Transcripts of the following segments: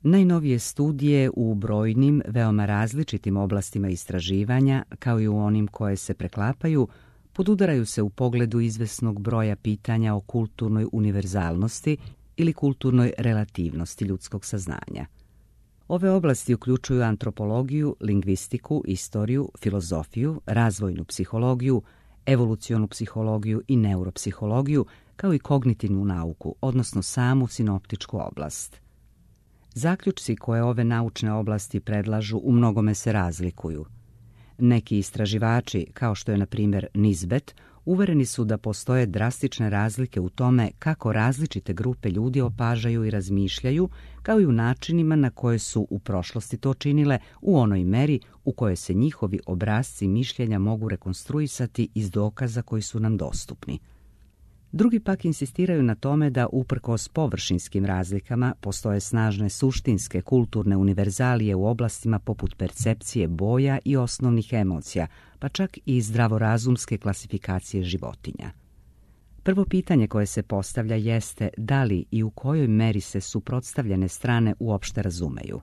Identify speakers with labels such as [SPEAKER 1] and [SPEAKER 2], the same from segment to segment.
[SPEAKER 1] Najnovije studije u brojnim, veoma različitim oblastima istraživanja, kao i u onim koje se preklapaju, podudaraju se u pogledu izvesnog broja pitanja o kulturnoj univerzalnosti ili kulturnoj relativnosti ljudskog saznanja. Ove oblasti uključuju antropologiju, lingvistiku, istoriju, filozofiju, razvojnu psihologiju, evolucionu psihologiju i neuropsihologiju, kao i kognitivnu nauku, odnosno samu sinoptičku oblast. Zaključci koje ove naučne oblasti predlažu u mnogome se razlikuju. Neki istraživači, kao što je na primjer Nisbet, uvereni su da postoje drastične razlike u tome kako različite grupe ljudi opažaju i razmišljaju, kao i u načinima na koje su u prošlosti to činile u onoj meri u kojoj se njihovi obrasci mišljenja mogu rekonstruisati iz dokaza koji su nam dostupni. Drugi pak insistiraju na tome da uprkos površinskim razlikama postoje snažne suštinske kulturne univerzalije u oblastima poput percepcije boja i osnovnih emocija, pa čak i zdravorazumske klasifikacije životinja. Prvo pitanje koje se postavlja jeste da li i u kojoj meri se suprotstavljene strane uopšte razumeju.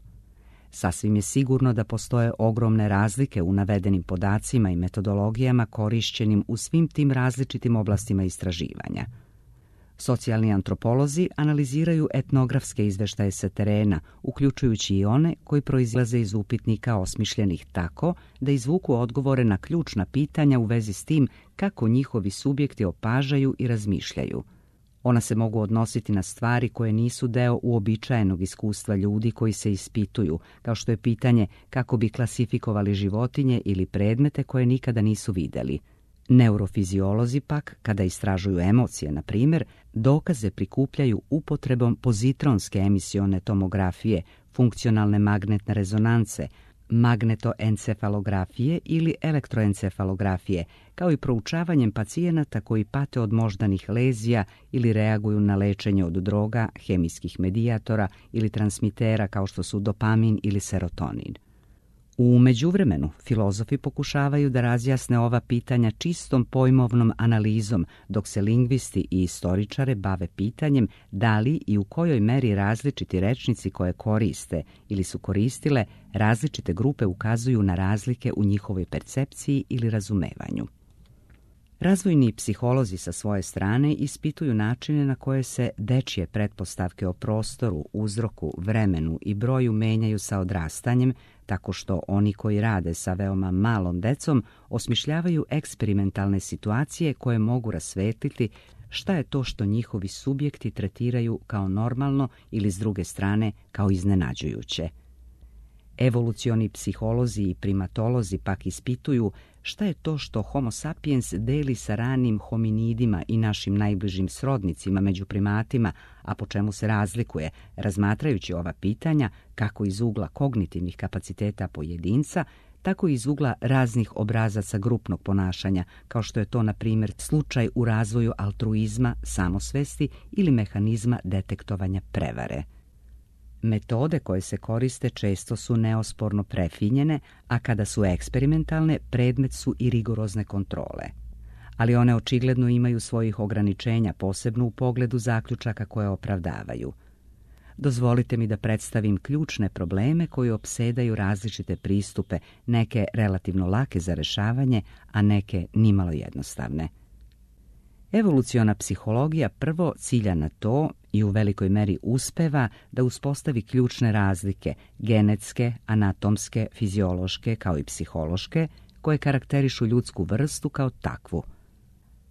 [SPEAKER 1] Sasvim je sigurno da postoje ogromne razlike u navedenim podacima i metodologijama korišćenim u svim tim različitim oblastima istraživanja. Socijalni antropolozi analiziraju etnografske izveštaje sa terena, uključujući i one koji proizlaze iz upitnika osmišljenih tako da izvuku odgovore na ključna pitanja u vezi s tim kako njihovi subjekti opažaju i razmišljaju. Ona se mogu odnositi na stvari koje nisu deo uobičajenog iskustva ljudi koji se ispituju, kao što je pitanje kako bi klasifikovali životinje ili predmete koje nikada nisu vidjeli. Neurofiziolozi pak, kada istražuju emocije, na primjer, dokaze prikupljaju upotrebom pozitronske emisione tomografije, funkcionalne magnetne rezonance, magnetoencefalografije ili elektroencefalografije, kao i proučavanjem pacijenata koji pate od moždanih lezija ili reaguju na lečenje od droga, hemijskih medijatora ili transmitera kao što su dopamin ili serotonin. U međuvremenu, filozofi pokušavaju da razjasne ova pitanja čistom pojmovnom analizom, dok se lingvisti i istoričare bave pitanjem da li i u kojoj meri različiti rečnici koje koriste ili su koristile različite grupe ukazuju na razlike u njihovoj percepciji ili razumevanju. Razvojni psiholozi sa svoje strane ispituju načine na koje se dečje pretpostavke o prostoru, uzroku, vremenu i broju menjaju sa odrastanjem, tako što oni koji rade sa veoma malom decom osmišljavaju eksperimentalne situacije koje mogu rasvetliti šta je to što njihovi subjekti tretiraju kao normalno ili s druge strane kao iznenađujuće. Evolucioni psiholozi i primatolozi pak ispituju šta je to što Homo sapiens deli sa ranim hominidima i našim najbližim srodnicima među primatima, a po čemu se razlikuje, razmatrajući ova pitanja kako iz ugla kognitivnih kapaciteta pojedinca, tako i iz ugla raznih obrazaca grupnog ponašanja, kao što je to, na primjer, slučaj u razvoju altruizma, samosvesti ili mehanizma detektovanja prevare. Metode koje se koriste često su neosporno prefinjene, a kada su eksperimentalne, predmet su i rigorozne kontrole. Ali one očigledno imaju svojih ograničenja, posebno u pogledu zaključaka koje opravdavaju. Dozvolite mi da predstavim ključne probleme koji opsedaju različite pristupe, neke relativno lake za rešavanje, a neke nimalo jednostavne. Evoluciona psihologija prvo cilja na to i u velikoj meri uspeva da uspostavi ključne razlike, genetske, anatomske, fiziološke kao i psihološke, koje karakterišu ljudsku vrstu kao takvu.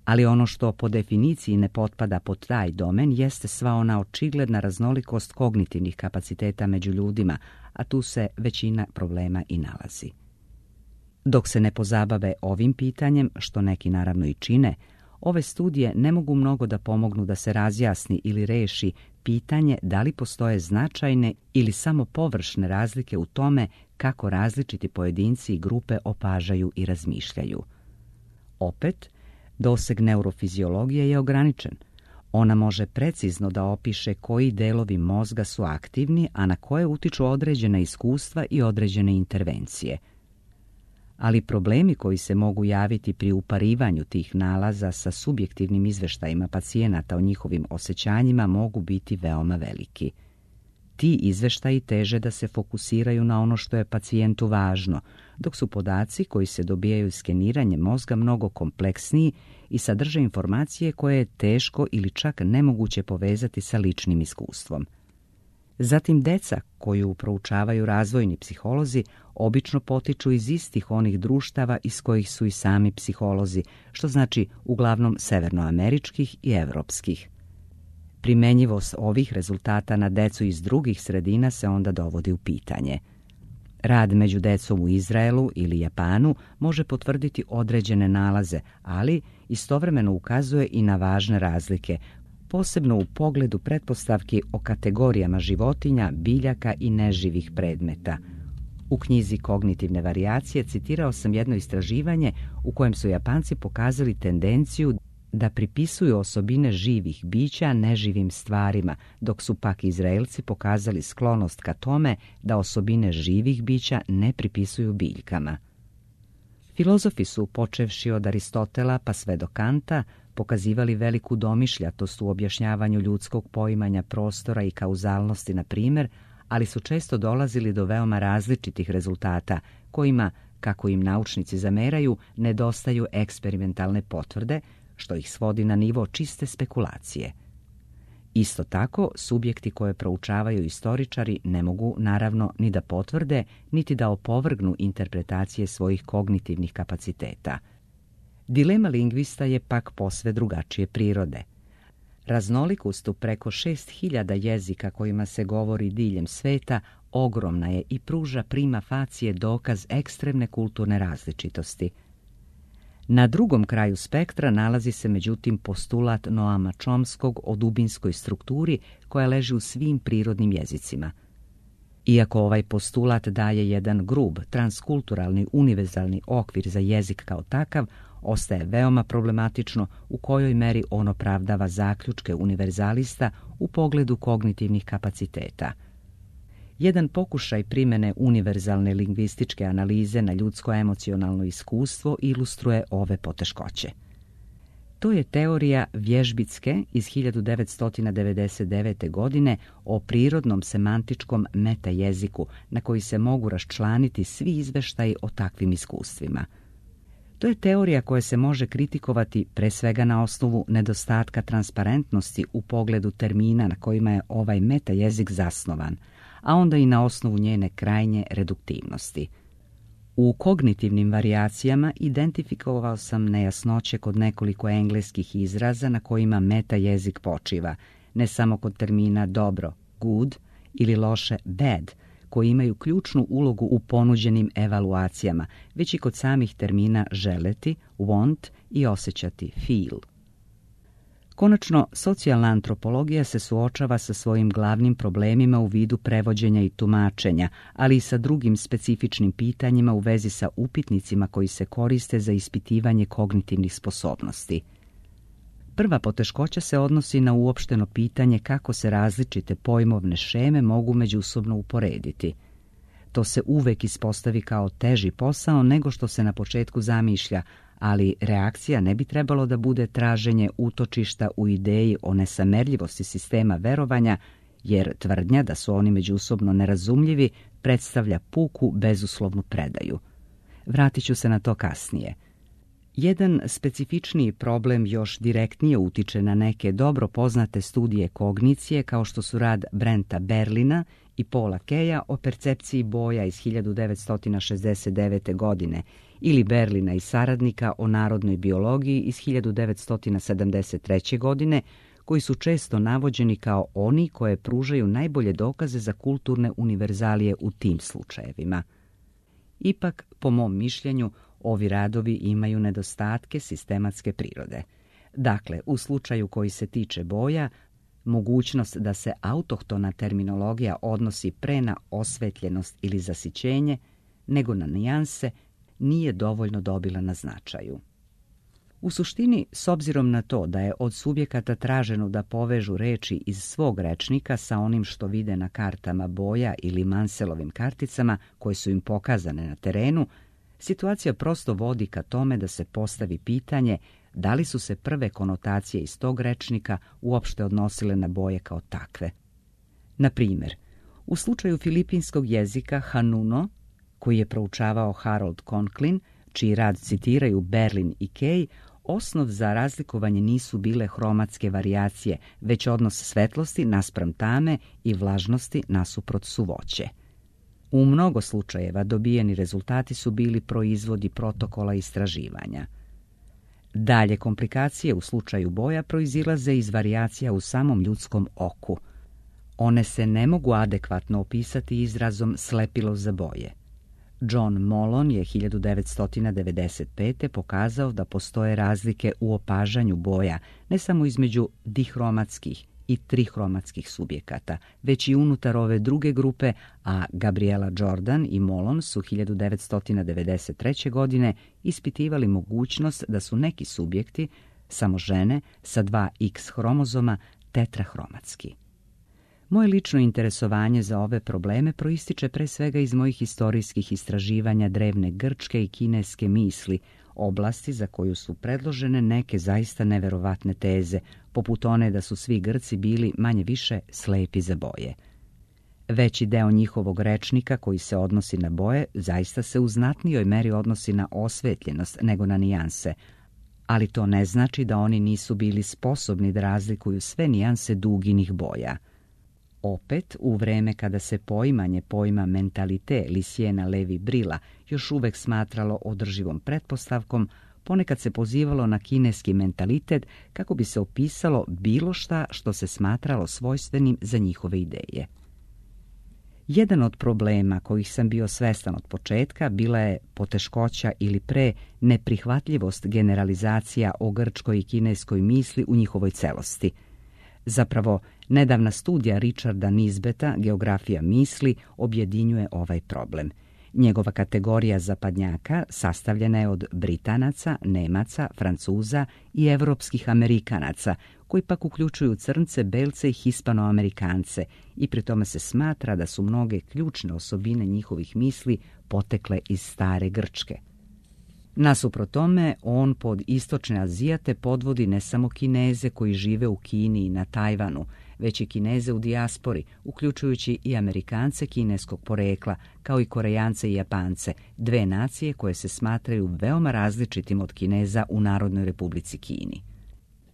[SPEAKER 1] Ali ono što po definiciji ne potpada pod taj domen jeste sva ona očigledna raznolikost kognitivnih kapaciteta među ljudima, a tu se većina problema i nalazi. Dok se ne pozabave ovim pitanjem, što neki naravno i čine, ove studije ne mogu mnogo da pomognu da se razjasni ili reši pitanje da li postoje značajne ili samo površne razlike u tome kako različiti pojedinci i grupe opažaju i razmišljaju. Opet, doseg neurofiziologije je ograničen. Ona može precizno da opiše koji delovi mozga su aktivni, a na koje utiču određena iskustva i određene intervencije. Ali problemi koji se mogu javiti pri uparivanju tih nalaza sa subjektivnim izveštajima pacijenata o njihovim osjećanjima mogu biti veoma veliki. Ti izveštaji teže da se fokusiraju na ono što je pacijentu važno, dok su podaci koji se dobijaju skeniranjem mozga mnogo kompleksniji i sadrže informacije koje je teško ili čak nemoguće povezati sa ličnim iskustvom. Zatim, deca koju proučavaju razvojni psiholozi obično potiču iz istih onih društava iz kojih su i sami psiholozi, što znači uglavnom severnoameričkih i evropskih. Primenjivost ovih rezultata na decu iz drugih sredina se onda dovodi u pitanje. Rad među decom u Izraelu ili Japanu može potvrditi određene nalaze, ali istovremeno ukazuje i na važne razlike, posebno u pogledu pretpostavki o kategorijama životinja, biljaka i neživih predmeta. U knjizi Kognitivne varijacije citirao sam jedno istraživanje u kojem su Japanci pokazali tendenciju da pripisuju osobine živih bića neživim stvarima, dok su pak Izraelci pokazali sklonost ka tome da osobine živih bića ne pripisuju biljkama. Filozofi su, počevši od Aristotela pa sve do Kanta, pokazivali veliku domišljatost u objašnjavanju ljudskog poimanja prostora i kauzalnosti, na primjer, ali su često dolazili do veoma različitih rezultata, kojima, kako im naučnici zameraju, nedostaju eksperimentalne potvrde, što ih svodi na nivo čiste spekulacije. Isto tako, subjekti koje proučavaju istoričari ne mogu, naravno, ni da potvrde, niti da opovrgnu interpretacije svojih kognitivnih kapaciteta. Dilema lingvista je pak posve drugačije prirode. Raznolikost u preko 6000 jezika kojima se govori diljem sveta ogromna je i pruža prima facie dokaz ekstremne kulturne različitosti. Na drugom kraju spektra nalazi se međutim postulat Noama Chomskog o dubinskoj strukturi koja leži u svim prirodnim jezicima. Iako ovaj postulat daje jedan grub, transkulturalni, univerzalni okvir za jezik kao takav, ostaje veoma problematično u kojoj meri on opravdava zaključke univerzalista u pogledu kognitivnih kapaciteta. Jedan pokušaj primjene univerzalne lingvističke analize na ljudsko emocionalno iskustvo ilustruje ove poteškoće. To je teorija Vježbicke iz 1999. godine o prirodnom semantičkom metajeziku na koji se mogu raščlaniti svi izveštaji o takvim iskustvima. To je teorija koja se može kritikovati pre svega na osnovu nedostatka transparentnosti u pogledu termina na kojima je ovaj metajezik zasnovan, a onda i na osnovu njene krajnje reduktivnosti. U kognitivnim varijacijama identifikovao sam nejasnoće kod nekoliko engleskih izraza na kojima metajezik počiva, ne samo kod termina dobro, good, ili loše, bad, koji imaju ključnu ulogu u ponuđenim evaluacijama, već i kod samih termina želeti, want i osjećati, feel. Konačno, socijalna antropologija se suočava sa svojim glavnim problemima u vidu prevođenja i tumačenja, ali i sa drugim specifičnim pitanjima u vezi sa upitnicima koji se koriste za ispitivanje kognitivnih sposobnosti. Prva poteškoća se odnosi na uopšteno pitanje kako se različite pojmovne šeme mogu međusobno uporediti. To se uvek ispostavi kao teži posao nego što se na početku zamišlja, ali reakcija ne bi trebalo da bude traženje utočišta u ideji o nesamerljivosti sistema verovanja, jer tvrdnja da su oni međusobno nerazumljivi predstavlja puku bezuslovnu predaju. Vratit ću se na to kasnije. Jedan specifičniji problem još direktnije utiče na neke dobro poznate studije kognicije, kao što su rad Brenta Berlina i Paula Keja o percepciji boja iz 1969. godine ili Berlina i saradnika o narodnoj biologiji iz 1973. godine, koji su često navođeni kao oni koje pružaju najbolje dokaze za kulturne univerzalije u tim slučajevima. Ipak, po mom mišljenju, ovi radovi imaju nedostatke sistematske prirode. Dakle, u slučaju koji se tiče boja, mogućnost da se autohtona terminologija odnosi pre na osvetljenost ili zasićenje, nego na nijanse, nije dovoljno dobila na značaju. U suštini, s obzirom na to da je od subjekata traženo da povežu reči iz svog rečnika sa onim što vide na kartama boja ili Manselovim karticama koje su im pokazane na terenu, situacija prosto vodi ka tome da se postavi pitanje da li su se prve konotacije iz tog rečnika uopšte odnosile na boje kao takve. Na primjer, U slučaju filipinskog jezika Hanuno, koji je proučavao Harold Conklin, čiji rad citiraju Berlin i Kay, osnov za razlikovanje nisu bile hromatske varijacije, već odnos svetlosti naspram tame i vlažnosti nasuprot suvoće. U mnogo slučajeva dobijeni rezultati su bili proizvodi protokola istraživanja. Dalje komplikacije u slučaju boja proizilaze iz varijacija u samom ljudskom oku. One se ne mogu adekvatno opisati izrazom slepilo za boje. John Molon je 1995. pokazao da postoje razlike u opažanju boja ne samo između dihromatskih i trihromatskih subjekata, već i unutar ove druge grupe, a Gabriela Jordan i Molon su 1993. godine ispitivali mogućnost da su neki subjekti, samo žene, sa 2 X hromozoma tetrahromatski. Moje lično interesovanje za ove probleme proističe pre svega iz mojih historijskih istraživanja drevne grčke i kineske misli, oblasti za koju su predložene neke zaista neverovatne teze, poput one da su svi Grci bili manje-više slepi za boje. Veći deo njihovog rečnika koji se odnosi na boje zaista se u znatnijoj meri odnosi na osvetljenost nego na nijanse, ali to ne znači da oni nisu bili sposobni da razlikuju sve nijanse duginih boja. Opet, u vreme kada se poimanje pojma mentalite Lysiena Levi-Brilla još uvek smatralo održivom pretpostavkom, ponekad se pozivalo na kineski mentalitet kako bi se opisalo bilo šta što se smatralo svojstvenim za njihove ideje. Jedan od problema kojih sam bio svestan od početka bila je poteškoća ili pre neprihvatljivost generalizacija o grčkoj i kineskoj misli u njihovoj celosti. Zapravo, nedavna studija Richarda Nisbeta, Geografija misli, objedinjuje ovaj problem. Njegova kategorija zapadnjaka sastavljena je od Britanaca, Nemaca, Francuza i evropskih Amerikanaca, koji pak uključuju Crnce, Belce i Hispanoamerikance, i pri tome se smatra da su mnoge ključne osobine njihovih misli potekle iz stare Grčke. Nasuprot tome, on pod istočne Azijate podvodi ne samo Kineze koji žive u Kini i na Tajvanu, već i Kineze u dijaspori, uključujući i Amerikance kineskog porekla, kao i Korejance i Japance, dve nacije koje se smatraju veoma različitim od Kineza u Narodnoj Republici Kini.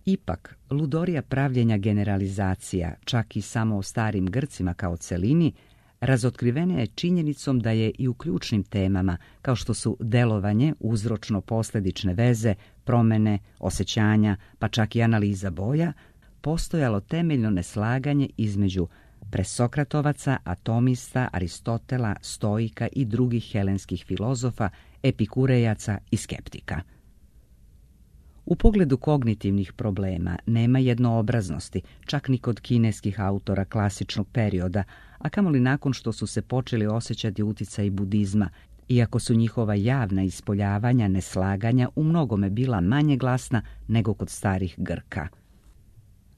[SPEAKER 1] Ipak, ludorija pravljenja generalizacija, čak i samo o starim Grcima kao celini, razotkrivena je činjenicom da je i u ključnim temama, kao što su delovanje, uzročno-posledične veze, promene, osjećanja, pa čak i analiza boja, postojalo temeljno neslaganje između presokratovaca, atomista, Aristotela, stoika i drugih helenskih filozofa, epikurejaca i skeptika. U pogledu kognitivnih problema nema jednoobraznosti, čak ni kod kineskih autora klasičnog perioda, a kamoli nakon što su se počeli osjećati uticaji budizma, iako su njihova javna ispoljavanja neslaganja u mnogome bila manje glasna nego kod starih Grka.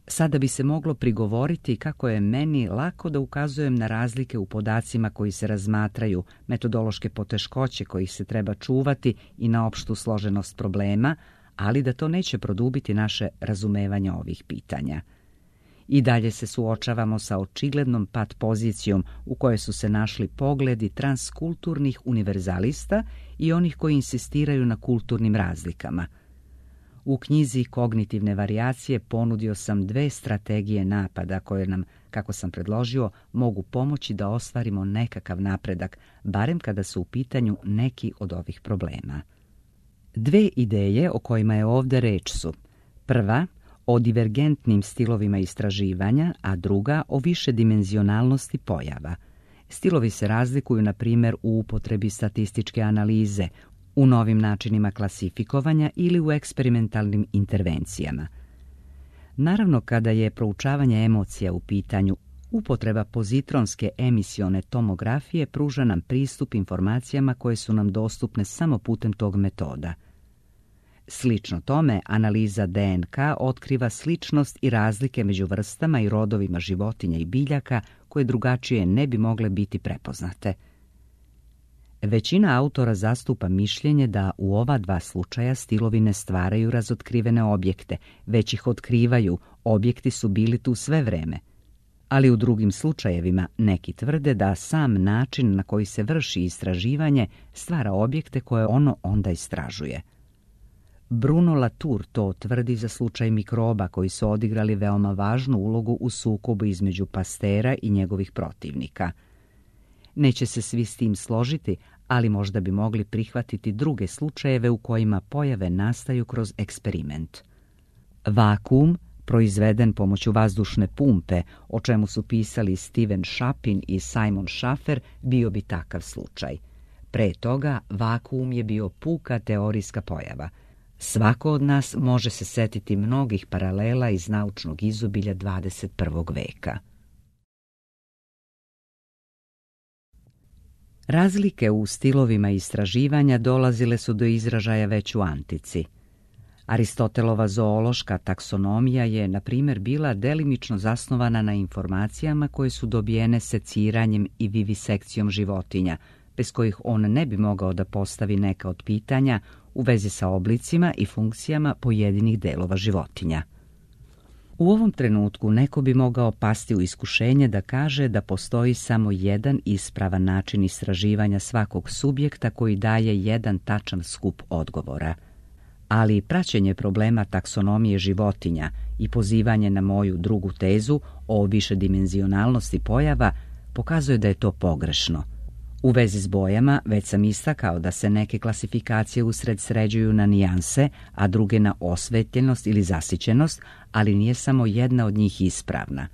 [SPEAKER 1] Sada bi se moglo prigovoriti kako je meni lako da ukazujem na razlike u podacima koji se razmatraju, metodološke poteškoće kojih se treba čuvati i na opštu složenost problema, ali da to neće produbiti naše razumevanje ovih pitanja. I dalje se suočavamo sa očiglednom pat pozicijom u kojoj su se našli pogledi transkulturnih univerzalista i onih koji insistiraju na kulturnim razlikama. U knjizi Kognitivne varijacije ponudio sam 2 strategije napada koje nam, kako sam predložio, mogu pomoći da ostvarimo nekakav napredak, barem kada su u pitanju neki od ovih problema. 2 ideje o kojima je ovdje reč su: prva, o divergentnim stilovima istraživanja, a druga o višedimenzionalnosti pojava. Stilovi se razlikuju, na primjer, u upotrebi statističke analize, u novim načinima klasifikovanja ili u eksperimentalnim intervencijama. Naravno, kada je proučavanje emocija u pitanju, upotreba pozitronske emisione tomografije pruža nam pristup informacijama koje su nam dostupne samo putem tog metoda. Slično tome, analiza DNK otkriva sličnost i razlike među vrstama i rodovima životinja i biljaka koje drugačije ne bi mogle biti prepoznate. Većina autora zastupa mišljenje da u ova 2 slučaja stilovi ne stvaraju razotkrivene objekte, već ih otkrivaju, objekti su bili tu sve vreme. ali u drugim slučajevima neki tvrde da sam način na koji se vrši istraživanje stvara objekte koje ono onda istražuje. Bruno Latour to tvrdi za slučaj mikroba koji su odigrali veoma važnu ulogu u sukobu između Pastera i njegovih protivnika. Neće se svi s tim složiti, ali možda bi mogli prihvatiti druge slučajeve u kojima pojave nastaju kroz eksperiment. Vakuum, proizveden pomoću vazdušne pumpe, o čemu su pisali Steven Shapin i Simon Schaffer, bio bi takav slučaj. Pre toga, vakuum je bio puka teorijska pojava. Svako od nas može se setiti mnogih paralela iz naučnog izobilja 21. veka. Razlike u stilovima istraživanja dolazile su do izražaja već u antici. Aristotelova zoološka taksonomija je, na primjer, bila delimično zasnovana na informacijama koje su dobijene seciranjem i vivisekcijom životinja, bez kojih on ne bi mogao da postavi neka od pitanja u vezi sa oblicima i funkcijama pojedinih delova životinja. U ovom trenutku neko bi mogao pasti u iskušenje da kaže da postoji samo jedan ispravan način istraživanja svakog subjekta koji daje jedan tačan skup odgovora. Ali praćenje problema taksonomije životinja i pozivanje na moju drugu tezu o višedimenzionalnosti pojava pokazuje da je to pogrešno. U vezi s bojama već sam istakao da se neke klasifikacije usred sređuju na nijanse, a druge na osvetljenost ili zasićenost, ali nije samo jedna od njih ispravna.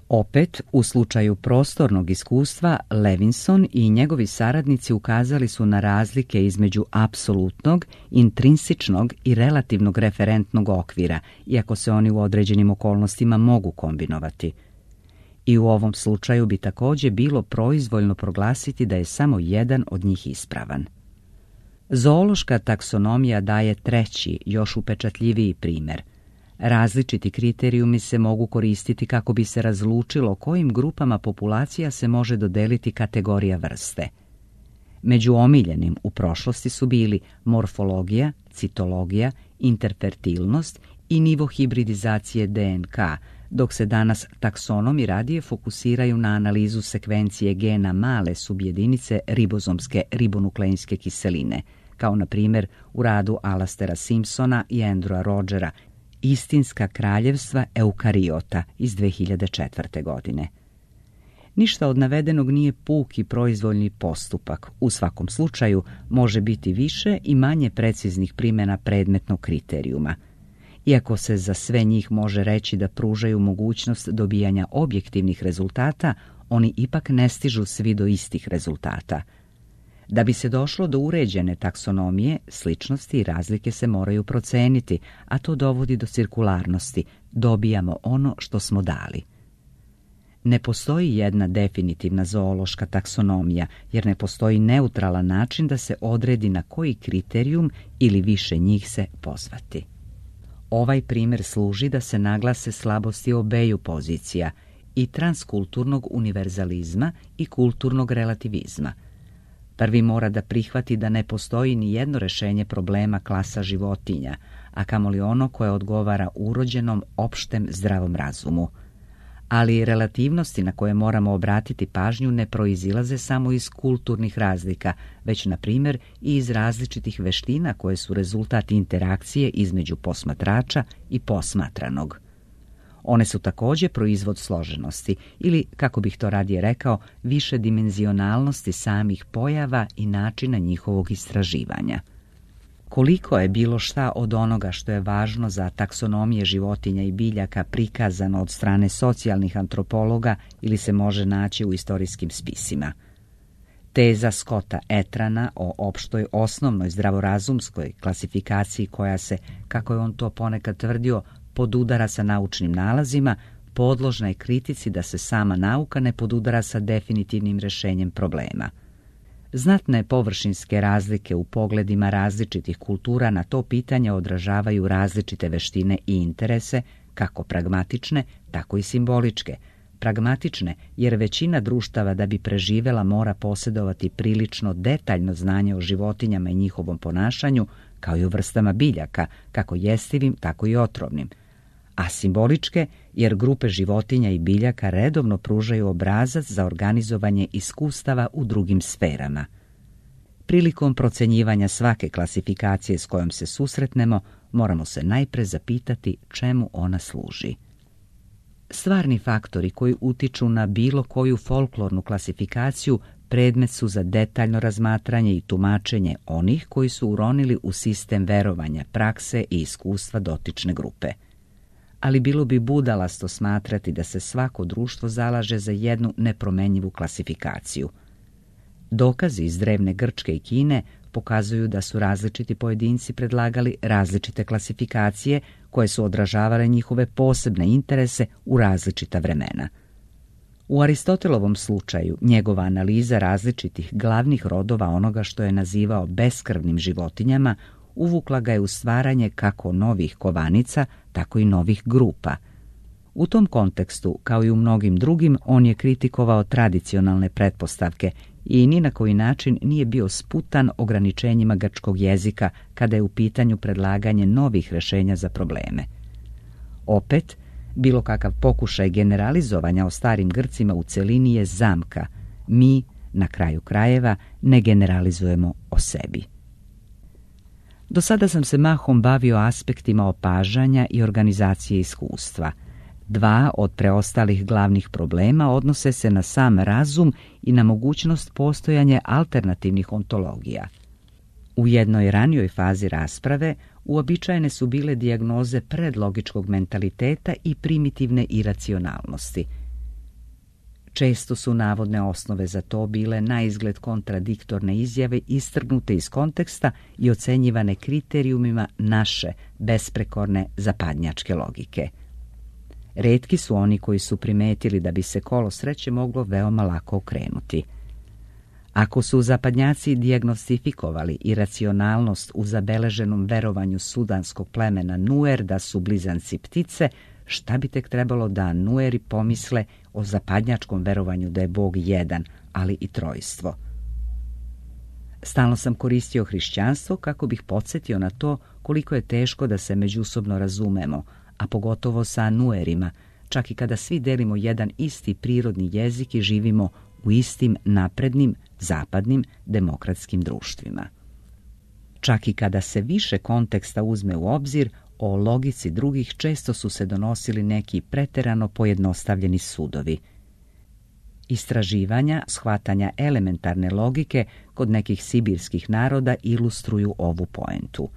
[SPEAKER 1] Opet, u slučaju prostornog iskustva, Levinson i njegovi saradnici ukazali su na razlike između apsolutnog, intrinsičnog i relativnog referentnog okvira, iako se oni u određenim okolnostima mogu kombinovati. I u ovom slučaju bi također bilo proizvoljno proglasiti da je samo jedan od njih ispravan. Zoološka taksonomija daje treći, još upečatljiviji primjer. Različiti kriterijumi se mogu koristiti kako bi se razlučilo kojim grupama populacija se može dodeliti kategorija vrste. Među omiljenim u prošlosti su bili morfologija, citologija, interfertilnost i nivo hibridizacije DNK, dok se danas taksonomi radije fokusiraju na analizu sekvencije gena male subjedinice ribozomske ribonukleinske kiseline, kao na primjer u radu Alastera Simpsona i Andrewa Rogera, Istinska kraljevstva eukariota iz 2004. godine. Ništa od navedenog nije puki proizvoljni postupak. U svakom slučaju može biti više i manje preciznih primjena predmetnog kriterijuma. Iako se za sve njih može reći da pružaju mogućnost dobijanja objektivnih rezultata, oni ipak ne stižu svi do istih rezultata. Da bi se došlo do uređene taksonomije, sličnosti i razlike se moraju proceniti, a to dovodi do cirkularnosti. Dobijamo ono što smo dali. Ne postoji jedna definitivna zoološka taksonomija, jer ne postoji neutralan način da se odredi na koji kriterijum ili više njih se pozvati. Ovaj primjer služi da se naglase slabosti obeju pozicija, i transkulturnog univerzalizma i kulturnog relativizma. Prvi mora da prihvati da ne postoji ni jedno rješenje problema klasa životinja, a kamoli ono koje odgovara urođenom opštem zdravom razumu. Ali relativnosti na koje moramo obratiti pažnju ne proizilaze samo iz kulturnih razlika, već na primjer i iz različitih veština koje su rezultat interakcije između posmatrača i posmatranog. One su također proizvod složenosti ili, kako bih to radije rekao, višedimenzionalnosti samih pojava i načina njihovog istraživanja. Koliko je bilo šta od onoga što je važno za taksonomije životinja i biljaka prikazano od strane socijalnih antropologa ili se može naći u istorijskim spisima. Teza Scotta Etrana o opštoj osnovnoj zdravorazumskoj klasifikaciji koja se, kako je on to ponekad tvrdio, podudara sa naučnim nalazima, podložna je kritici da se sama nauka ne podudara sa definitivnim rješenjem problema. Znatne površinske razlike u pogledima različitih kultura na to pitanje odražavaju različite veštine i interese, kako pragmatične, tako i simboličke. Pragmatične, jer većina društava da bi preživela mora posjedovati prilično detaljno znanje o životinjama i njihovom ponašanju, kao i o vrstama biljaka, kako jestivim, tako i otrovnim. a simboličke jer grupe životinja i biljaka redovno pružaju obrazac za organizovanje iskustava u drugim sferama. Prilikom procenjivanja svake klasifikacije s kojom se susretnemo, moramo se najpre zapitati čemu ona služi. Stvarni faktori koji utiču na bilo koju folklornu klasifikaciju predmet su za detaljno razmatranje i tumačenje onih koji su uronili u sistem verovanja, prakse i iskustva dotične grupe. Ali bilo bi budalasto smatrati da se svako društvo zalaže za jednu nepromenjivu klasifikaciju. Dokazi iz drevne Grčke i Kine pokazuju da su različiti pojedinci predlagali različite klasifikacije koje su odražavale njihove posebne interese u različita vremena. U Aristotelovom slučaju njegova analiza različitih glavnih rodova onoga što je nazivao beskrvnim životinjama uvukla ga je u stvaranje kako novih kovanica, tako i novih grupa. U tom kontekstu, kao i u mnogim drugim, on je kritikovao tradicionalne pretpostavke i ni na koji način nije bio sputan ograničenjima grčkog jezika kada je u pitanju predlaganje novih rješenja za probleme. Opet, bilo kakav pokušaj generalizovanja o starim Grcima u celini je zamka. Mi, na kraju krajeva, ne generalizujemo o sebi. Do sada sam se mahom bavio aspektima opažanja i organizacije iskustva. Dva od preostalih glavnih problema odnose se na sam razum i na mogućnost postojanja alternativnih ontologija. U jednoj ranijoj fazi rasprave uobičajene su bile dijagnoze predlogičkog mentaliteta i primitivne iracionalnosti. Često su navodne osnove za to bile naizgled kontradiktorne izjave istrgnute iz konteksta i ocenjivane kriterijumima naše besprekorne zapadnjačke logike. Retki su oni koji su primetili da bi se kolo sreće moglo veoma lako okrenuti. Ako su zapadnjaci dijagnostifikovali iracionalnost u zabeleženom verovanju sudanskog plemena Nuer da su blizanci ptice, šta bi tek trebalo da Nueri pomisle o zapadnjačkom verovanju da je Bog jedan, ali i trojstvo? Stalno sam koristio hrišćanstvo kako bih podsjetio na to koliko je teško da se međusobno razumemo, a pogotovo sa Nuerima, čak i kada svi delimo jedan isti prirodni jezik i živimo u istim naprednim, zapadnim, demokratskim društvima. Čak i kada se više konteksta uzme u obzir, o logici drugih često su se donosili neki preterano pojednostavljeni sudovi. Istraživanja, shvatanja elementarne logike kod nekih sibirskih naroda ilustruju ovu poentu.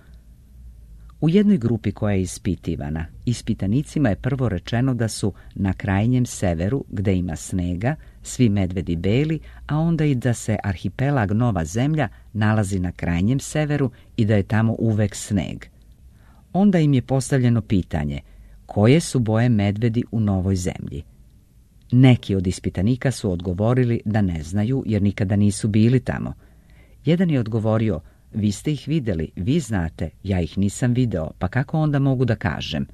[SPEAKER 1] U jednoj grupi koja je ispitivana, ispitanicima je prvo rečeno da su na krajnjem severu, gde ima snega, svi medvedi beli, a onda i da se arhipelag Nova Zemlja nalazi na krajnjem severu i da je tamo uvek sneg. Onda im je postavljeno pitanje, koje su boje medvedi u Novoj Zemlji? Neki od ispitanika su odgovorili da ne znaju jer nikada nisu bili tamo. Jedan je odgovorio, vi ste ih vidjeli, vi znate, ja ih nisam video, pa kako onda mogu da kažem?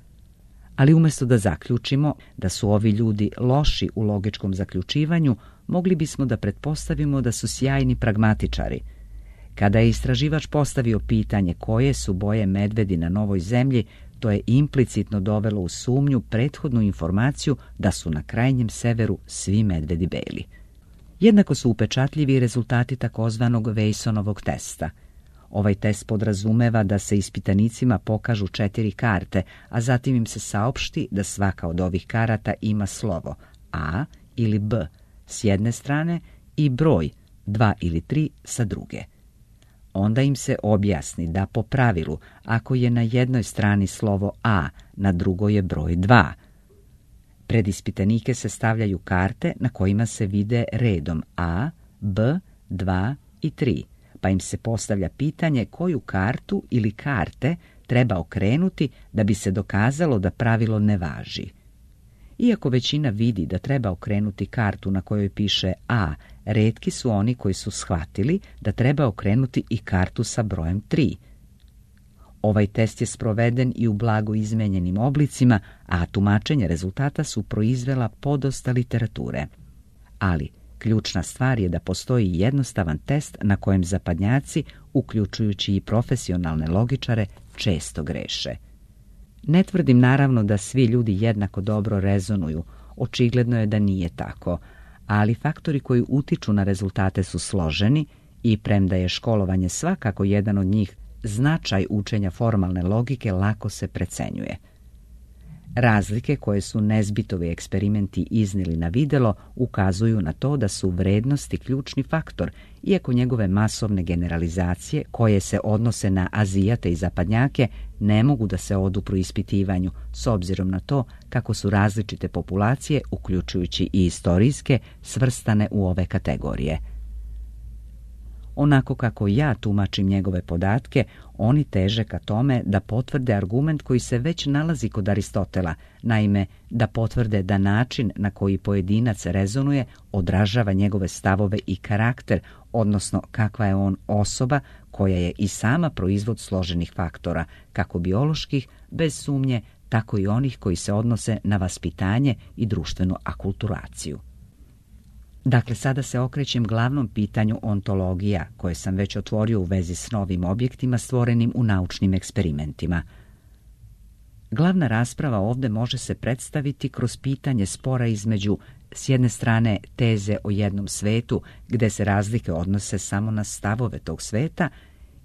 [SPEAKER 1] Ali umjesto da zaključimo da su ovi ljudi loši u logičkom zaključivanju, mogli bismo da pretpostavimo da su sjajni pragmatičari. Kada je istraživač postavio pitanje koje su boje medvedi na Novoj Zemlji, to je implicitno dovelo u sumnju prethodnu informaciju da su na krajnjem severu svi medvedi beli. Jednako su upečatljivi rezultati takozvanog Weisonovog testa. Ovaj test podrazumeva da se ispitanicima pokažu 4 karte, a zatim im se saopšti da svaka od ovih karata ima slovo A ili B s jedne strane i broj 2 ili 3 sa druge. Onda im se objasni da po pravilu, ako je na jednoj strani slovo A, na drugoj je broj 2. Pred ispitanike se stavljaju karte na kojima se vide redom A, B, 2 i 3, pa im se postavlja pitanje koju kartu ili karte treba okrenuti da bi se dokazalo da pravilo ne važi. Iako većina vidi da treba okrenuti kartu na kojoj piše A, retki su oni koji su shvatili da treba okrenuti i kartu sa brojem 3. Ovaj test je sproveden i u blago izmenjenim oblicima, a tumačenje rezultata su proizvela podosta literature. Ali ključna stvar je da postoji jednostavan test na kojem zapadnjaci, uključujući i profesionalne logičare, često greše. Ne tvrdim naravno da svi ljudi jednako dobro rezonuju, očigledno je da nije tako, ali faktori koji utiču na rezultate su složeni i premda je školovanje svakako jedan od njih, značaj učenja formalne logike lako se precenjuje. Razlike koje su Nesbitovi eksperimenti iznijeli na videlo ukazuju na to da su vrednosti ključni faktor, iako njegove masovne generalizacije koje se odnose na Azijate i zapadnjake ne mogu da se odupru ispitivanju s obzirom na to kako su različite populacije, uključujući i istorijske, svrstane u ove kategorije. Onako kako ja tumačim njegove podatke, oni teže ka tome da potvrde argument koji se već nalazi kod Aristotela, naime da potvrde da način na koji pojedinac rezonuje odražava njegove stavove i karakter, odnosno kakva je on osoba koja je i sama proizvod složenih faktora, kako bioloških, bez sumnje, tako i onih koji se odnose na vaspitanje i društvenu akulturaciju. Dakle, sada se okrećem glavnom pitanju ontologija, koje sam već otvorio u vezi s novim objektima stvorenim u naučnim eksperimentima. Glavna rasprava ovdje može se predstaviti kroz pitanje spora između, s jedne strane, teze o jednom svetu, gde se razlike odnose samo na stavove tog sveta,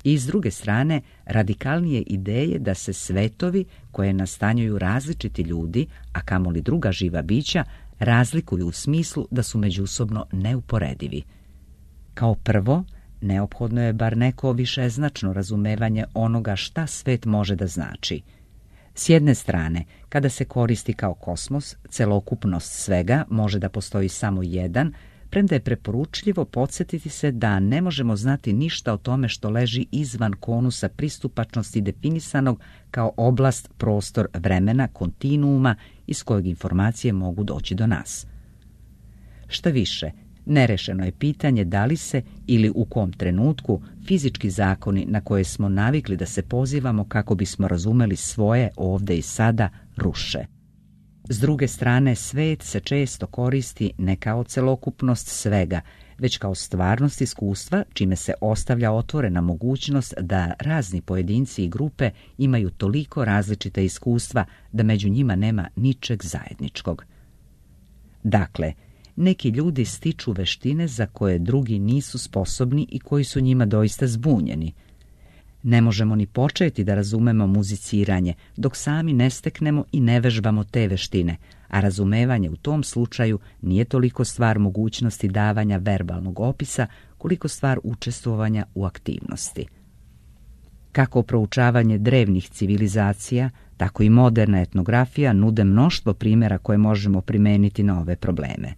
[SPEAKER 1] i s druge strane, radikalnije ideje da se svetovi koje nastanjuju različiti ljudi, a kamoli druga živa bića, razlikuju u smislu da su međusobno neuporedivi. Kao prvo, neophodno je bar neko višeznačno razumevanje onoga šta svet može da znači. S jedne strane, kada se koristi kao kosmos, celokupnost svega može da postoji samo jedan, premda je preporučljivo podsjetiti se da ne možemo znati ništa o tome što leži izvan konusa pristupačnosti definisanog kao oblast, prostor, vremena, kontinuuma iz kojeg informacije mogu doći do nas. Šta više, nerešeno je pitanje da li se ili u kom trenutku fizički zakoni na koje smo navikli da se pozivamo kako bismo razumeli svoje ovde i sada ruše. S druge strane, svet se često koristi ne kao celokupnost svega, već kao stvarnost iskustva, čime se ostavlja otvorena mogućnost da razni pojedinci i grupe imaju toliko različita iskustva da među njima nema ničeg zajedničkog. Dakle, neki ljudi stiču veštine za koje drugi nisu sposobni i koji su njima doista zbunjeni. Ne možemo ni početi da razumemo muziciranje dok sami ne steknemo i ne vežbamo te veštine, a razumevanje u tom slučaju nije toliko stvar mogućnosti davanja verbalnog opisa koliko stvar učestvovanja u aktivnosti. Kako proučavanje drevnih civilizacija, tako i moderna etnografija nude mnoštvo primjera koje možemo primeniti na ove probleme.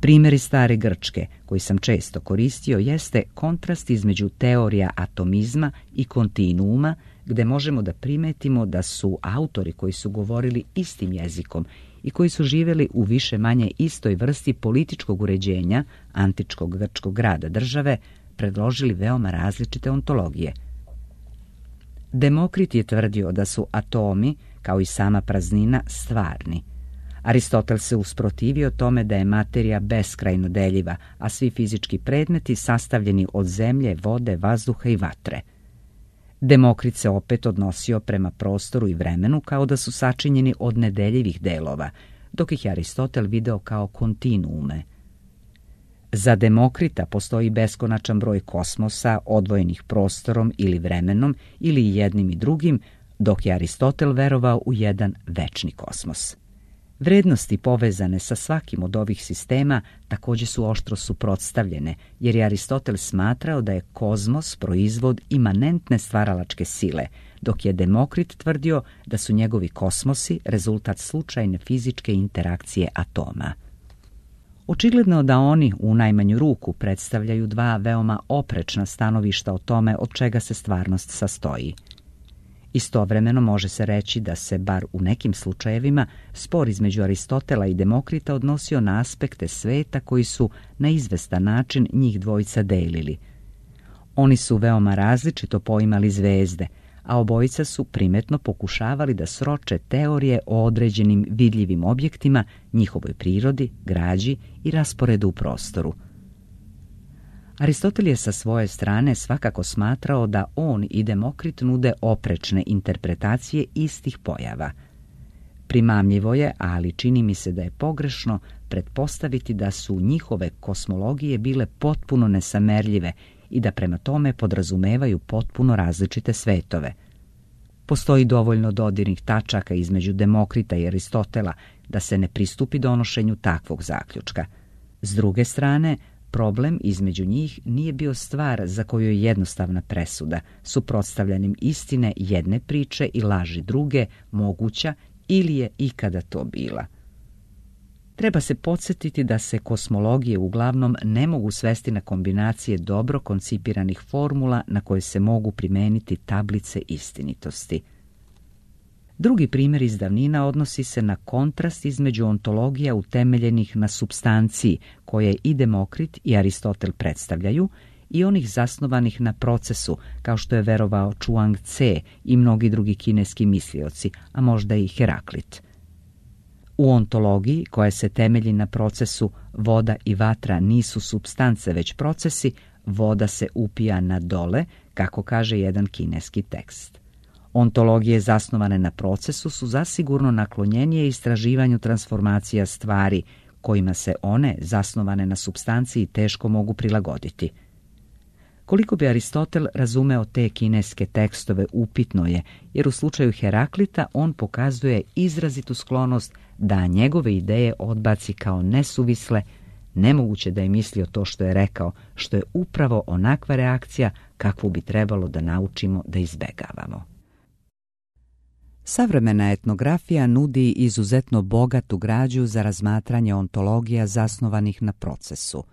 [SPEAKER 1] Primjer iz stare Grčke, koji sam često koristio, jeste kontrast između teorija atomizma i kontinuuma, gde možemo da primetimo da su autori koji su govorili istim jezikom i koji su živjeli u više manje istoj vrsti političkog uređenja antičkog grčkog grada države, predložili veoma različite ontologije. Demokrit je tvrdio da su atomi, kao i sama praznina, stvarni. Aristotel se usprotivio tome da je materija beskrajno deljiva, a svi fizički predmeti sastavljeni od zemlje, vode, vazduha i vatre. Demokrit se opet odnosio prema prostoru i vremenu kao da su sačinjeni od nedeljivih delova, dok ih je Aristotel video kao kontinuume. Za Demokrita postoji beskonačan broj kosmosa odvojenih prostorom ili vremenom ili jednim i drugim, dok je Aristotel verovao u jedan večni kosmos. Vrednosti povezane sa svakim od ovih sistema također su oštro suprotstavljene, jer je Aristotel smatrao da je kozmos proizvod imanentne stvaralačke sile, dok je Demokrit tvrdio da su njegovi kosmosi rezultat slučajne fizičke interakcije atoma. Očigledno da oni u najmanju ruku predstavljaju dva veoma oprečna stanovišta o tome od čega se stvarnost sastoji. Istovremeno može se reći da se, bar u nekim slučajevima, spor između Aristotela i Demokrita odnosio na aspekte sveta koji su na izvestan način njih dvojica delili. Oni su veoma različito poimali zvezde, a obojica su primetno pokušavali da sroče teorije o određenim vidljivim objektima, njihovoj prirodi, građi i rasporedu u prostoru. Aristotel je sa svoje strane svakako smatrao da on i Demokrit nude oprečne interpretacije istih pojava. Primamljivo je, ali čini mi se da je pogrešno pretpostaviti da su njihove kosmologije bile potpuno nesamerljive i da prema tome podrazumevaju potpuno različite svetove. Postoji dovoljno dodirnih tačaka između Demokrita i Aristotela da se ne pristupi donošenju takvog zaključka. S druge strane, problem između njih nije bio stvar za koju je jednostavna presuda, suprotstavljanjem istine jedne priče i laži druge moguća ili je ikada to bila. Treba se podsjetiti da se kosmologije uglavnom ne mogu svesti na kombinacije dobro koncipiranih formula na koje se mogu primijeniti tablice istinitosti. Drugi primjer iz davnina odnosi se na kontrast između ontologija utemeljenih na supstanciji koje i Demokrit i Aristotel predstavljaju i onih zasnovanih na procesu, kao što je verovao Chuang Tse i mnogi drugi kineski mislioci, a možda i Heraklit. U ontologiji, koja se temelji na procesu voda i vatra nisu supstance već procesi, voda se upija na dole, kako kaže jedan kineski tekst. Ontologije zasnovane na procesu su zasigurno naklonjenije istraživanju transformacija stvari, kojima se one, zasnovane na supstanciji, teško mogu prilagoditi. Koliko bi Aristotel razumeo te kineske tekstove upitno je, jer u slučaju Heraklita on pokazuje izrazitu sklonost da njegove ideje odbaci kao nesuvisle, nemoguće da je mislio to što je rekao, što je upravo onakva reakcija kakvu bi trebalo da naučimo da izbegavamo. Savremena etnografija nudi izuzetno bogatu građu za razmatranje ontologija zasnovanih na procesu.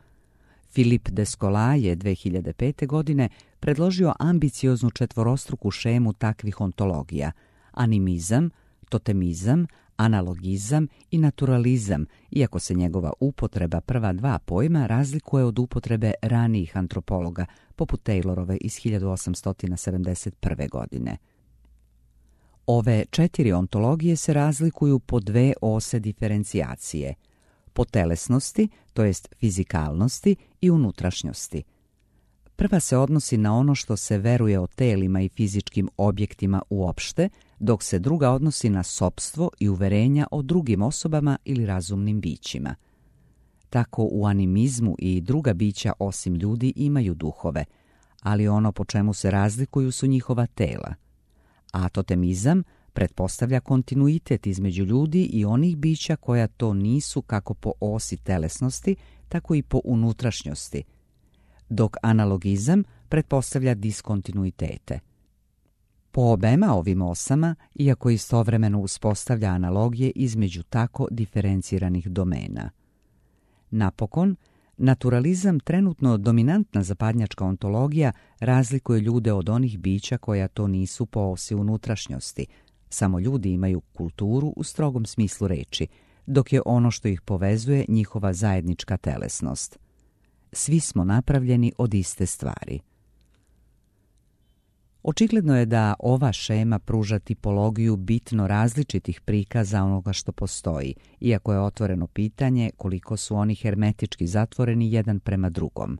[SPEAKER 1] Philippe Descola je 2005. godine predložio ambicioznu četvorostruku šemu takvih ontologija: animizam, totemizam, analogizam i naturalizam, iako se njegova upotreba prva dva pojma razlikuje od upotrebe ranijih antropologa, poput Taylorove iz 1871. godine. Ove 4 ontologije se razlikuju po 2 ose diferencijacije: po telesnosti, to jest fizikalnosti, i unutrašnjosti. Prva se odnosi na ono što se veruje o telima i fizičkim objektima uopšte, dok se druga odnosi na sopstvo i uverenja o drugim osobama ili razumnim bićima. Tako u animizmu i druga bića osim ljudi imaju duhove, ali ono po čemu se razlikuju su njihova tela. A totemizam pretpostavlja kontinuitet između ljudi i onih bića koja to nisu kako po osi telesnosti, tako i po unutrašnjosti, dok analogizam pretpostavlja diskontinuitete. Po obema ovim osama, iako istovremeno uspostavlja analogije između tako diferenciranih domena. Napokon, naturalizam, trenutno dominantna zapadnjačka ontologija, razlikuje ljude od onih bića koja to nisu po osi unutrašnjosti. Samo ljudi imaju kulturu u strogom smislu reči, dok je ono što ih povezuje njihova zajednička telesnost. Svi smo napravljeni od iste stvari. Očigledno je da ova šema pruža tipologiju bitno različitih prikaza onoga što postoji, iako je otvoreno pitanje koliko su oni hermetički zatvoreni jedan prema drugom.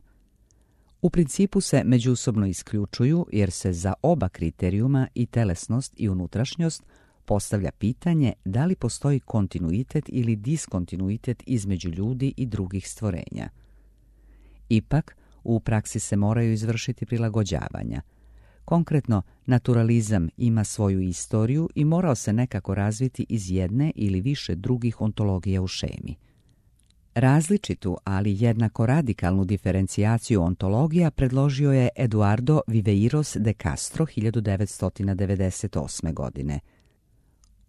[SPEAKER 1] U principu se međusobno isključuju jer se za oba kriterijuma, i telesnost i unutrašnjost, postavlja pitanje da li postoji kontinuitet ili diskontinuitet između ljudi i drugih stvorenja. Ipak, u praksi se moraju izvršiti prilagođavanja. Konkretno, naturalizam ima svoju istoriju i morao se nekako razviti iz jedne ili više drugih ontologija u šemi. Različitu, ali jednako radikalnu diferencijaciju ontologija predložio je Eduardo Viveiros de Castro 1998. godine.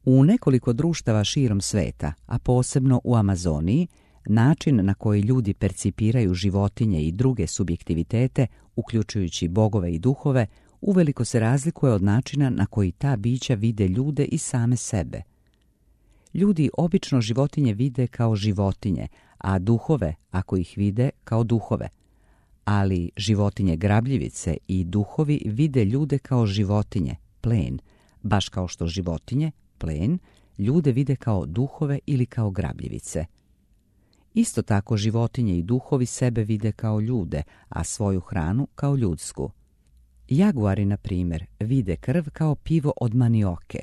[SPEAKER 1] U nekoliko društava širom sveta, a posebno u Amazoniji, način na koji ljudi percipiraju životinje i druge subjektivitete, uključujući bogove i duhove, uveliko se razlikuje od načina na koji ta bića vide ljude i same sebe. Ljudi obično životinje vide kao životinje, a duhove, ako ih vide, kao duhove. Ali životinje grabljivice i duhovi vide ljude kao životinje, plen, baš kao što životinje, plen, ljude vide kao duhove ili kao grabljivice. Isto tako životinje i duhovi sebe vide kao ljude, a svoju hranu kao ljudsku. Jaguari, na primjer, vide krv kao pivo od manioke.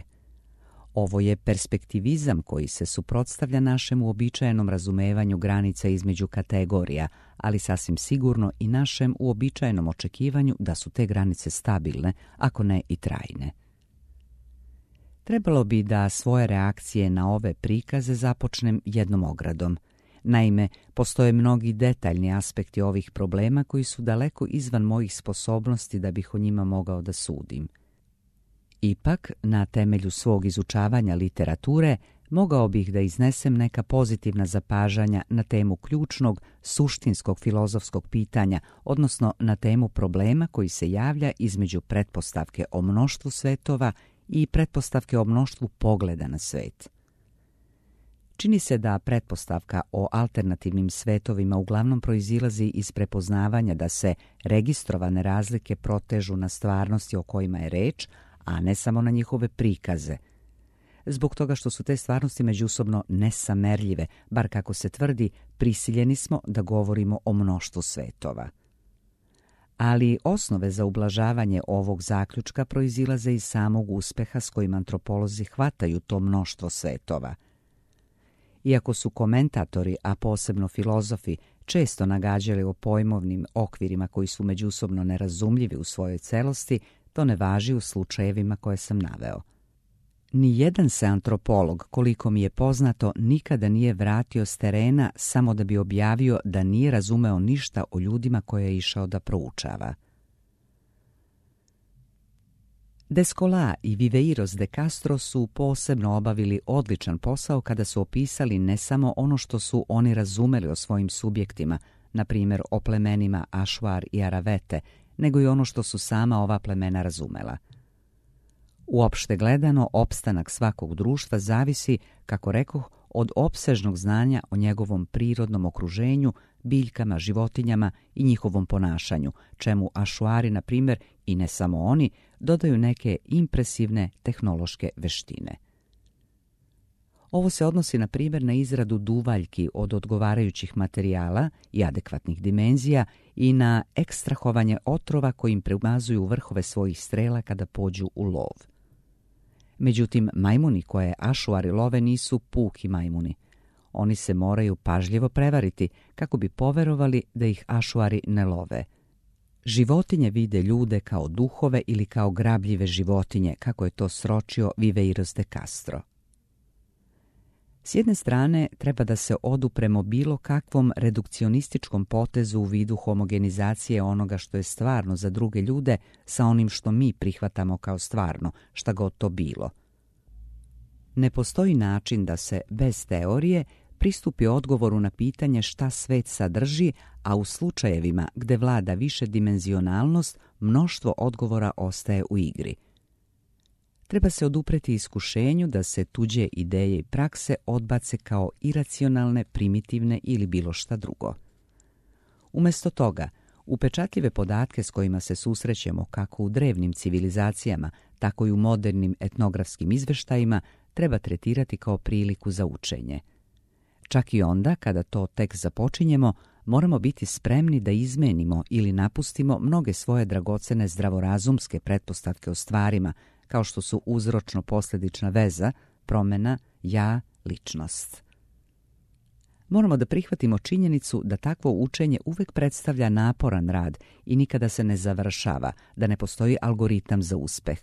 [SPEAKER 1] Ovo je perspektivizam koji se suprotstavlja našem uobičajenom razumevanju granica između kategorija, ali sasvim sigurno i našem uobičajenom očekivanju da su te granice stabilne, ako ne i trajne. Trebalo bi da svoje reakcije na ove prikaze započnem jednom ogradom. Naime, postoje mnogi detaljni aspekti ovih problema koji su daleko izvan mojih sposobnosti da bih o njima mogao da sudim. Ipak, na temelju svog izučavanja literature, mogao bih da iznesem neka pozitivna zapažanja na temu ključnog, suštinskog filozofskog pitanja, odnosno na temu problema koji se javlja između pretpostavke o mnoštvu svetova i pretpostavke o mnoštvu pogleda na svet. Čini se da pretpostavka o alternativnim svetovima uglavnom proizilazi iz prepoznavanja da se registrovane razlike protežu na stvarnosti o kojima je reč, a ne samo na njihove prikaze. Zbog toga što su te stvarnosti međusobno nesamerljive, bar kako se tvrdi, prisiljeni smo da govorimo o mnoštvu svetova. Ali osnove za ublažavanje ovog zaključka proizilaze iz samog uspeha s kojim antropolozi hvataju to mnoštvo svetova. Iako su komentatori, a posebno filozofi, često nagađali o pojmovnim okvirima koji su međusobno nerazumljivi u svojoj celosti, to ne važi u slučajevima koje sam naveo. Nijedan se antropolog, koliko mi je poznato, nikada nije vratio s terena samo da bi objavio da nije razumeo ništa o ljudima koje je išao da proučava. Descola i Viveiros de Castro su posebno obavili odličan posao kada su opisali ne samo ono što su oni razumeli o svojim subjektima, na primjer o plemenima Ašuar i Aravete, nego i ono što su sama ova plemena razumela. Uopšte gledano, opstanak svakog društva zavisi, kako rekoh, od opsežnog znanja o njegovom prirodnom okruženju, biljkama, životinjama i njihovom ponašanju, čemu Ašuari, na primjer, i ne samo oni, dodaju neke impresivne tehnološke veštine. Ovo se odnosi, na primjer, na izradu duvaljki od odgovarajućih materijala i adekvatnih dimenzija i na ekstrahovanje otrova kojim premazuju vrhove svojih strela kada pođu u lov. Međutim, majmuni koje Ašuari love nisu puki majmuni. Oni se moraju pažljivo prevariti kako bi poverovali da ih Ašuari ne love. Životinje vide ljude kao duhove ili kao grabljive životinje, kako je to sročio Viveiros de Castro. S jedne strane, treba da se odupremo bilo kakvom redukcionističkom potezu u vidu homogenizacije onoga što je stvarno za druge ljude sa onim što mi prihvatamo kao stvarno, šta god to bilo. Ne postoji način da se, bez teorije, pristupi odgovoru na pitanje šta svet sadrži, a u slučajevima gde vlada višedimenzionalnost, mnoštvo odgovora ostaje u igri. Treba se odupreti iskušenju da se tuđe ideje i prakse odbace kao iracionalne, primitivne ili bilo šta drugo. Umjesto toga, upečatljive podatke s kojima se susrećemo kako u drevnim civilizacijama, tako i u modernim etnografskim izveštajima treba tretirati kao priliku za učenje. Čak i onda, kada to tek započinjemo, moramo biti spremni da izmenimo ili napustimo mnoge svoje dragocene zdravorazumske pretpostavke o stvarima, kao što su uzročno-posljedična veza, promjena, ja, ličnost. Moramo da prihvatimo činjenicu da takvo učenje uvek predstavlja naporan rad i nikada se ne završava, da ne postoji algoritam za uspeh.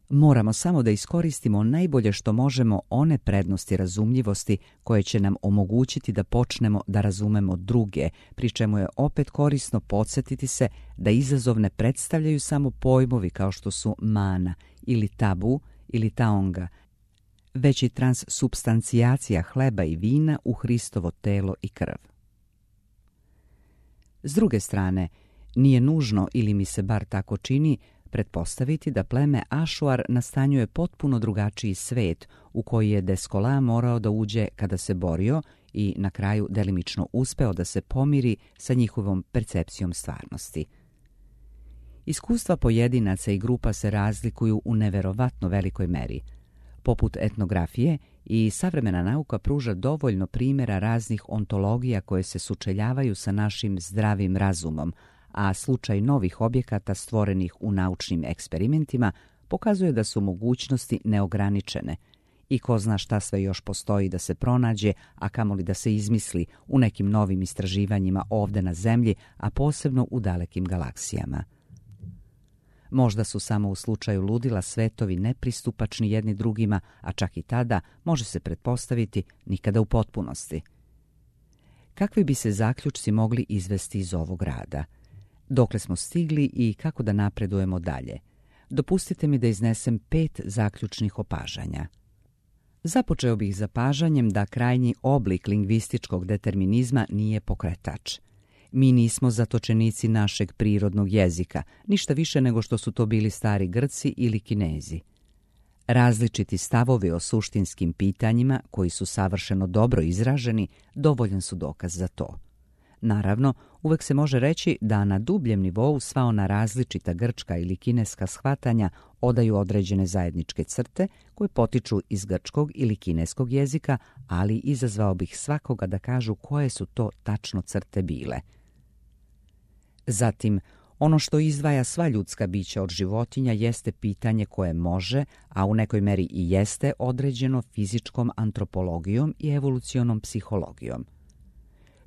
[SPEAKER 1] Moramo samo da iskoristimo najbolje što možemo one prednosti razumljivosti koje će nam omogućiti da počnemo da razumemo druge, pri čemu je opet korisno podsjetiti se da izazov ne predstavljaju samo pojmovi kao što su mana ili tabu ili taonga, već i transsubstancijacija hleba i vina u Hristovo telo i krv. S druge strane, nije nužno, ili mi se bar tako čini, pretpostaviti da pleme Ašuar nastanjuje potpuno drugačiji svet u koji je Descola morao da uđe kada se borio i na kraju delimično uspeo da se pomiri sa njihovom percepcijom stvarnosti. Iskustva pojedinaca i grupa se razlikuju u neverovatno velikoj meri. Poput etnografije, i savremena nauka pruža dovoljno primjera raznih ontologija koje se sučeljavaju sa našim zdravim razumom, a slučaj novih objekata stvorenih u naučnim eksperimentima pokazuje da su mogućnosti neograničene i ko zna šta sve još postoji da se pronađe, a kamoli da se izmisli u nekim novim istraživanjima ovde na Zemlji, a posebno u dalekim galaksijama. Možda su samo u slučaju ludila svetovi nepristupačni jedni drugima, a čak i tada može se pretpostaviti nikada u potpunosti. Kakvi bi se zaključci mogli izvesti iz ovog rada? Dokle smo stigli i kako da napredujemo dalje? Dopustite mi da iznesem 5 zaključnih opažanja. Započeo bih zapažanjem da krajnji oblik lingvističkog determinizma nije pokretač. Mi nismo zatočenici našeg prirodnog jezika, ništa više nego što su to bili stari Grci ili Kinezi. Različiti stavovi o suštinskim pitanjima, koji su savršeno dobro izraženi, dovoljan su dokaz za to. Naravno, uvek se može reći da na dubljem nivou sva ona različita grčka ili kineska shvatanja odaju određene zajedničke crte koje potiču iz grčkog ili kineskog jezika, ali izazvao bih svakoga da kažu koje su to tačno crte bile. Zatim, ono što izdvaja sva ljudska bića od životinja jeste pitanje koje može, a u nekoj meri i jeste određeno fizičkom antropologijom i evolucionom psihologijom.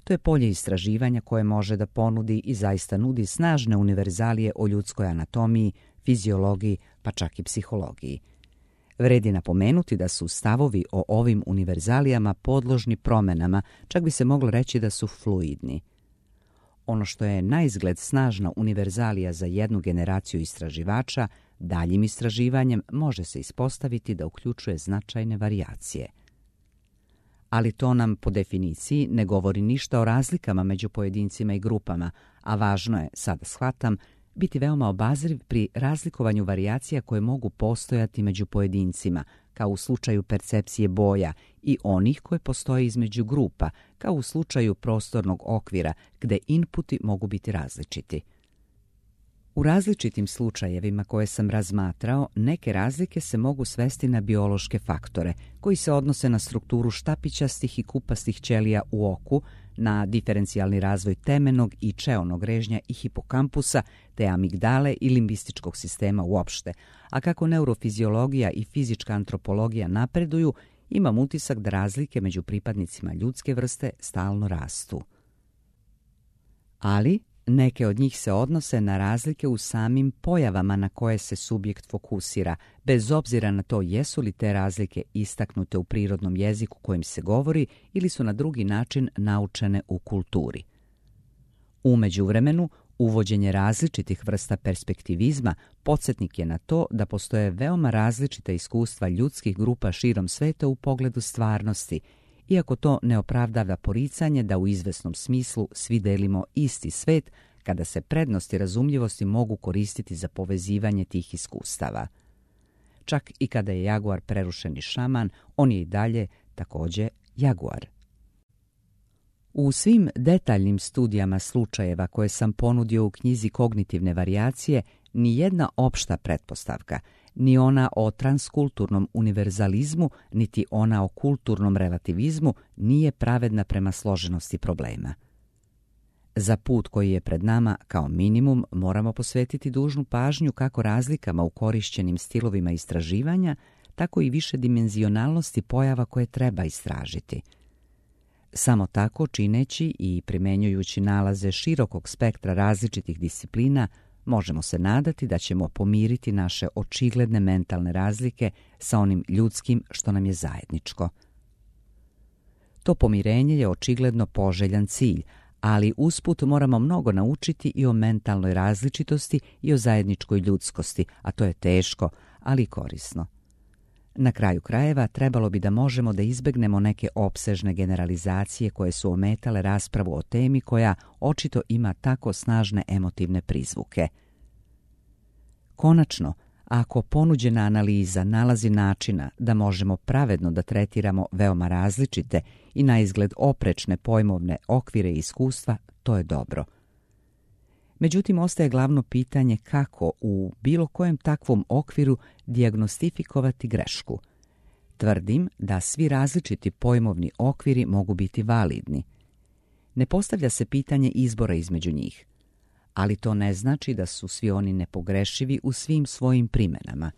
[SPEAKER 1] To je polje istraživanja koje može da ponudi i zaista nudi snažne univerzalije o ljudskoj anatomiji, fiziologiji, pa čak i psihologiji. Vredi napomenuti da su stavovi o ovim univerzalijama podložni promenama, čak bi se moglo reći da su fluidni. Ono što je naizgled snažna univerzalija za jednu generaciju istraživača, daljim istraživanjem može se ispostaviti da uključuje značajne varijacije. Ali to nam po definiciji ne govori ništa o razlikama među pojedincima i grupama, a važno je, sada shvatam, biti veoma obazriv pri razlikovanju varijacija koje mogu postojati među pojedincima, kao u slučaju percepcije boja, i onih koje postoje između grupa, kao u slučaju prostornog okvira, gde inputi mogu biti različiti. U različitim slučajevima koje sam razmatrao, neke razlike se mogu svesti na biološke faktore, koji se odnose na strukturu štapićastih i kupastih ćelija u oku, na diferencijalni razvoj temenog i čeonog režnja i hipokampusa, te amigdale i limbističkog sistema uopšte, a kako neurofiziologija i fizička antropologija napreduju, imam utisak da razlike među pripadnicima ljudske vrste stalno rastu. Ali neke od njih se odnose na razlike u samim pojavama na koje se subjekt fokusira, bez obzira na to jesu li te razlike istaknute u prirodnom jeziku kojim se govori ili su na drugi način naučene u kulturi. U međuvremenu, uvođenje različitih vrsta perspektivizma podsjetnik je na to da postoje veoma različita iskustva ljudskih grupa širom sveta u pogledu stvarnosti, iako to ne opravdava poricanje da u izvesnom smislu svi delimo isti svet, kada se prednosti razumljivosti mogu koristiti za povezivanje tih iskustava. Čak i kada je jaguar prerušeni šaman, on je i dalje također jaguar. U svim detaljnim studijama slučajeva koje sam ponudio u knjizi Kognitivne varijacije, ni jedna opšta pretpostavka, ni ona o transkulturnom univerzalizmu, niti ona o kulturnom relativizmu nije pravedna prema složenosti problema. Za put koji je pred nama, kao minimum, moramo posvetiti dužnu pažnju kako razlikama u korišćenim stilovima istraživanja, tako i višedimenzionalnosti pojava koje treba istražiti. Samo tako, čineći i primenjujući nalaze širokog spektra različitih disciplina, možemo se nadati da ćemo pomiriti naše očigledne mentalne razlike sa onim ljudskim što nam je zajedničko. To pomirenje je očigledno poželjan cilj, ali usput moramo mnogo naučiti i o mentalnoj različitosti i o zajedničkoj ljudskosti, a to je teško, ali korisno. Na kraju krajeva trebalo bi da možemo da izbegnemo neke opsežne generalizacije koje su ometale raspravu o temi koja očito ima tako snažne emotivne prizvuke. Konačno, ako ponuđena analiza nalazi načina da možemo pravedno da tretiramo veoma različite i naizgled oprečne pojmovne okvire i iskustva, to je dobro. Međutim, ostaje glavno pitanje kako u bilo kojem takvom okviru dijagnostifikovati grešku. Tvrdim da svi različiti pojmovni okviri mogu biti validni. Ne postavlja se pitanje izbora između njih, ali to ne znači da su svi oni nepogrešivi u svim svojim primenama.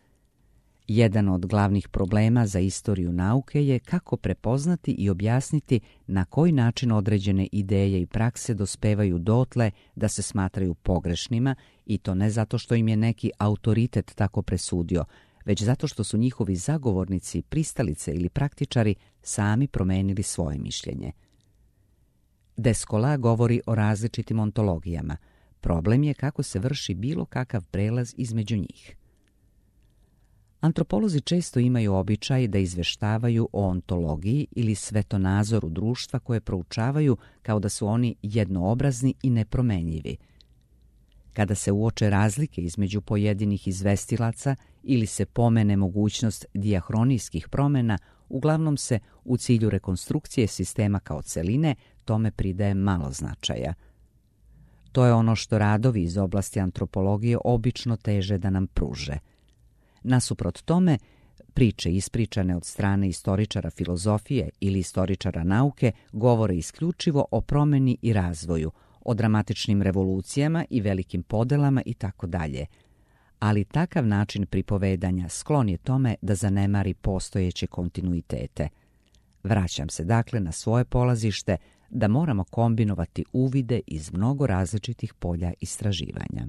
[SPEAKER 1] Jedan od glavnih problema za istoriju nauke je kako prepoznati i objasniti na koji način određene ideje i prakse dospevaju dotle da se smatraju pogrešnima, i to ne zato što im je neki autoritet tako presudio, već zato što su njihovi zagovornici, pristalice ili praktičari sami promenili svoje mišljenje. Descola govori o različitim ontologijama. Problem je kako se vrši bilo kakav prelaz između njih. Antropolozi često imaju običaj da izveštavaju o ontologiji ili svetonazoru društva koje proučavaju kao da su oni jednoobrazni i nepromenljivi. Kada se uoče razlike između pojedinih izvestilaca ili se pomene mogućnost dijahronijskih promjena, uglavnom se u cilju rekonstrukcije sistema kao celine tome pridaje malo značaja. To je ono što radovi iz oblasti antropologije obično teže da nam pruže. Nasuprot tome, priče ispričane od strane istoričara filozofije ili istoričara nauke govore isključivo o promjeni i razvoju, o dramatičnim revolucijama i velikim podelama itd. Ali takav način pripovedanja sklon je tome da zanemari postojeće kontinuitete. Vraćam se dakle na svoje polazište da moramo kombinovati uvide iz mnogo različitih polja istraživanja.